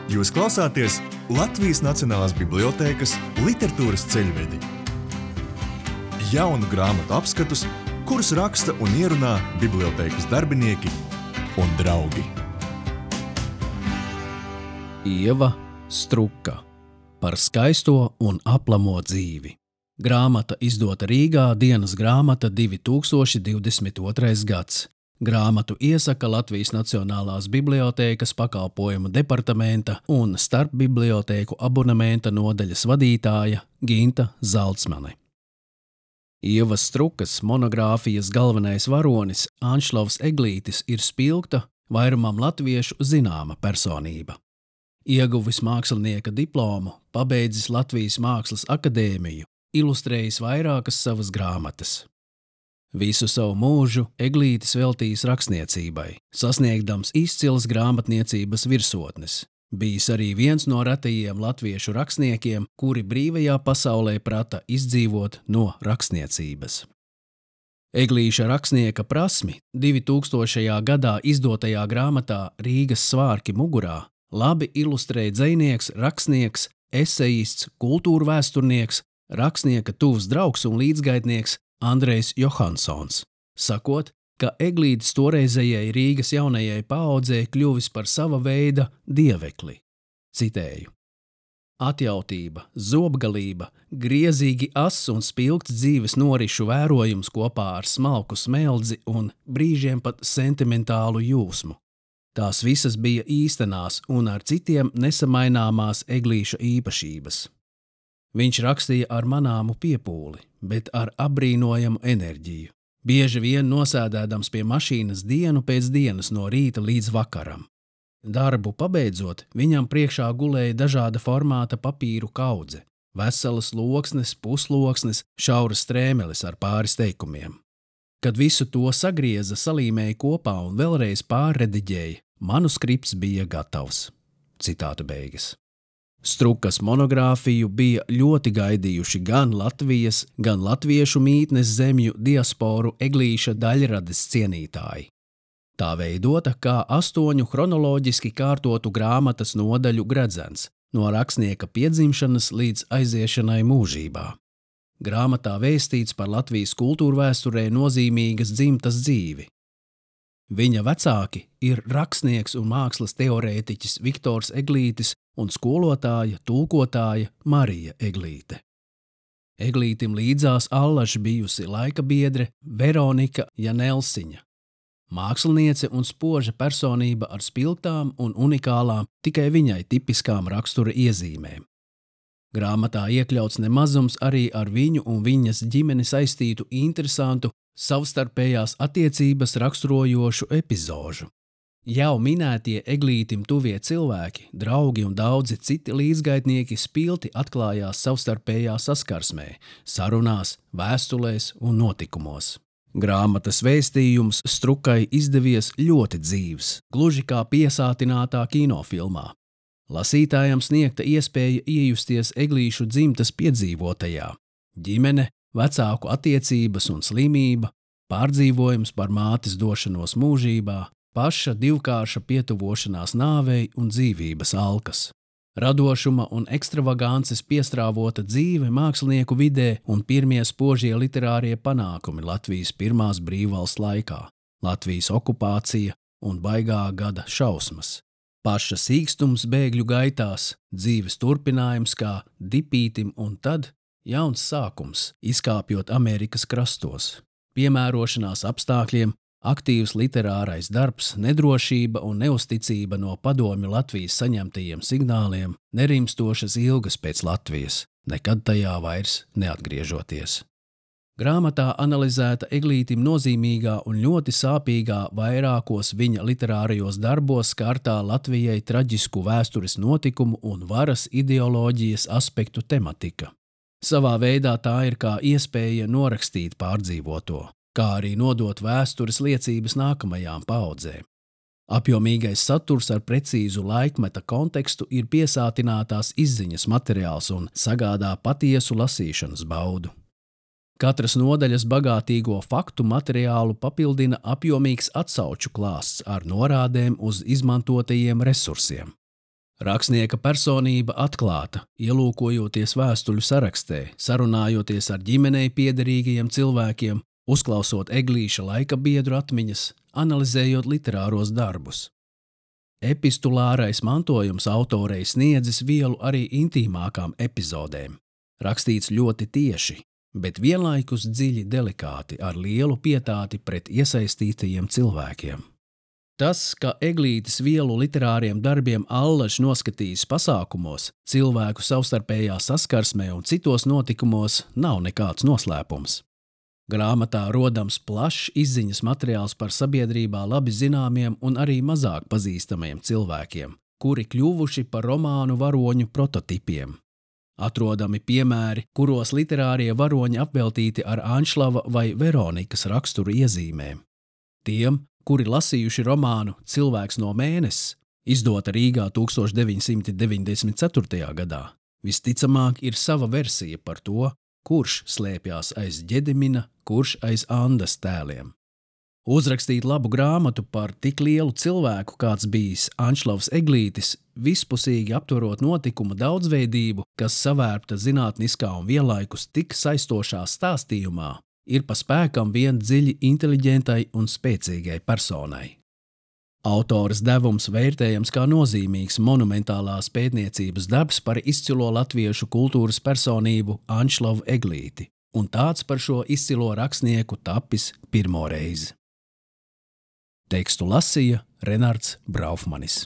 Jūs klausāties Latvijas Nacionālās bibliotēkas literatūras ceļvedi. Jaunu grāmatu apskatus, kurus raksta un ierunā bibliotēkas darbinieki un draugi. Ieva Struka par skaisto un aplamo dzīvi. Grāmata izdota Rīgā, dienas grāmata 2022. gads. Grāmatu iesaka Latvijas Nacionālās bibliotēkas pakalpojumu departamenta un starpbibliotēku abonementa nodaļas vadītāja Ginta Zalcmane. Ievas Strukas monogrāfijas galvenais varonis Anšlavs Eglītis ir spilgta, vairumam latviešu zināma personība. Ieguvis mākslinieka diplomu, pabeidzis Latvijas Mākslas akadēmiju, ilustrējis vairākas savas grāmatas. Visu savu mūžu Eglītis veltījis rakstniecībai, sasniegdams izcilas grāmatniecības virsotnes. Bijis arī viens no retajiem latviešu rakstniekiem, kuri brīvajā pasaulē prata izdzīvot no rakstniecības. Eglīša rakstnieka prasmi 2000. gadā izdotajā grāmatā Rīgas svārki mugurā labi ilustrē dzejnieks, rakstnieks, esejists, kultūrvēsturnieks, rakstnieka tuvs draugs un līdzgaitnieks Andrejs Johansons, sakot, ka Eglītis toreizējai Rīgas jaunajai paaudzei kļuvis par sava veida dievekli. Citēju. Atjautība, zobgalība, griezīgi ass un spilgts dzīves norišu vērojums kopā ar smalku smeldzi un brīžiem pat sentimentālu jūsmu. Tās visas bija īstenās un ar citiem nesamaināmās Eglīša īpašības. Viņš rakstīja ar manāmu piepūli, bet ar apbrīnojamu enerģiju, bieži vien nosēdēdams pie mašīnas dienu pēc dienas no rīta līdz vakaram. Darbu pabeidzot, viņam priekšā gulēja dažāda formāta papīru kaudze, veselas loksnes, pusloksnes, šauras strēmelis ar pāris teikumiem. Kad visu to sagrieza, salīmēja kopā un vēlreiz pārrediģēja, manuskripts bija gatavs. Citātu beigas. Strukas monogrāfiju bija ļoti gaidījuši gan Latvijas, gan latviešu mītnes zemju diasporu Eglīša daļrades cienītāji. Tā veidota kā 8 chronoloģiski kārtotu grāmatas nodaļu gredzens, no rakstnieka piedzimšanas līdz aiziešanai mūžībā. Grāmatā vēstīts par Latvijas kultūrvēsturē nozīmīgas dzimtas dzīvi. Viņa vecāki ir rakstnieks un mākslas teorētiķis Viktors Eglītis un skolotāja, tulkotāja Marija Eglīte. Eglītim līdzās allaž bijusi laika biedre Veronika Janelsiņa, māksliniece un spoža personība ar spilgtām un unikālām, tikai viņai tipiskām rakstura iezīmēm. Grāmatā iekļauts nemazums arī ar viņu un viņas ģimeni saistītu interesantu, savstarpējās attiecības raksturojošu epizožu. Jau minētie Eglītim tuvie cilvēki, draugi un daudzi citi līdzgaitnieki spilti atklājās savstarpējā saskarsmē, sarunās, vēstulēs un notikumos. Grāmatas vēstījums Strukai izdevies ļoti dzīvs, gluži kā piesātinātā kinofilmā. Lasītājam sniegta iespēja iejusties Eglīšu dzimtas piedzīvotajā. Ģimene, vecāku attiecības un slimība, pārdzīvojums par mātes došanos mūžībā, paša divkārša pietuvošanās nāvei un dzīvības alkas. Radošuma un ekstravagances piestrāvota dzīve mākslinieku vidē un pirmie spožie literārie panākumi Latvijas pirmās brīvvalsts laikā, Latvijas okupācija un baigā gada šausmas. Paša sīkstums bēgļu gaitās, dzīves turpinājums kā dipītim un tad jauns sākums, izkāpjot Amerikas krastos. Piemērošanās apstākļiem, aktīvs literārais darbs, nedrošība un neusticība no padomju Latvijas saņemtajiem signāliem, nerimstošas ilgas pēc Latvijas, nekad tajā vairs neatgriežoties. Grāmatā analizēta Eglītim nozīmīgā un ļoti sāpīgā vairākos viņa literārajos darbos skartā Latvijai traģisku vēstures notikumu un varas ideoloģijas aspektu tematika. Savā veidā tā ir kā iespēja norakstīt pārdzīvoto, kā arī nodot vēstures liecības nākamajām paaudzēm. Apjomīgais saturs ar precīzu laikmeta kontekstu ir piesātinātās izziņas materiāls un sagādā patiesu lasīšanas baudu. Katras nodaļas bagātīgo faktu materiālu papildina apjomīgs atsauču klāsts ar norādēm uz izmantotajiem resursiem. Rakstnieka personība atklāta, ielūkojoties vēstuļu sarakstē, sarunājoties ar ģimenei piederīgajiem cilvēkiem, uzklausot Eglīša laika biedru atmiņas, analizējot literāros darbus. Epistulārais mantojums autorei sniedzis vielu arī intīmākām epizodēm. Rakstīts ļoti tieši, bet vienlaikus dziļi delikāti ar lielu pietāti pret iesaistītajiem cilvēkiem. Tas, ka Eglītes vielu literāriem darbiem allaž noskatījis pasākumos, cilvēku savstarpējā saskarsmē un citos notikumos, nav nekāds noslēpums. Grāmatā rodams plašs izziņas materiāls par sabiedrībā labi zināmiem un arī mazāk pazīstamiem cilvēkiem, kuri kļuvuši par romānu varoņu prototipiem. Atrodami piemēri, kuros literārie varoņi apveltīti ar Anšlava vai Veronikas raksturu iezīmēm. Tiem, kuri lasījuši romānu Cilvēks no mēneses, izdota Rīgā 1994. gadā, visticamāk ir sava versija par to, kurš slēpjās aiz Ģedimina, kurš aiz Andas tēliem. Uzrakstīt labu grāmatu par tik lielu cilvēku, kāds bijis Anšlavs Eglītis, vispusīgi aptverot notikumu daudzveidību, kas savērpta zinātniskā un vienlaikus tik saistošā stāstījumā, ir pa spēkam vien dziļi inteliģentai un spēcīgai personai. Autores devums vērtējams kā nozīmīgs monumentālās pētniecības darbs par izcilo latviešu kultūras personību Anšlavu Eglīti, un tāds par šo izcilo rakstnieku tapis pirmo reizi. Tekstu lasīja Renards Braufmanis.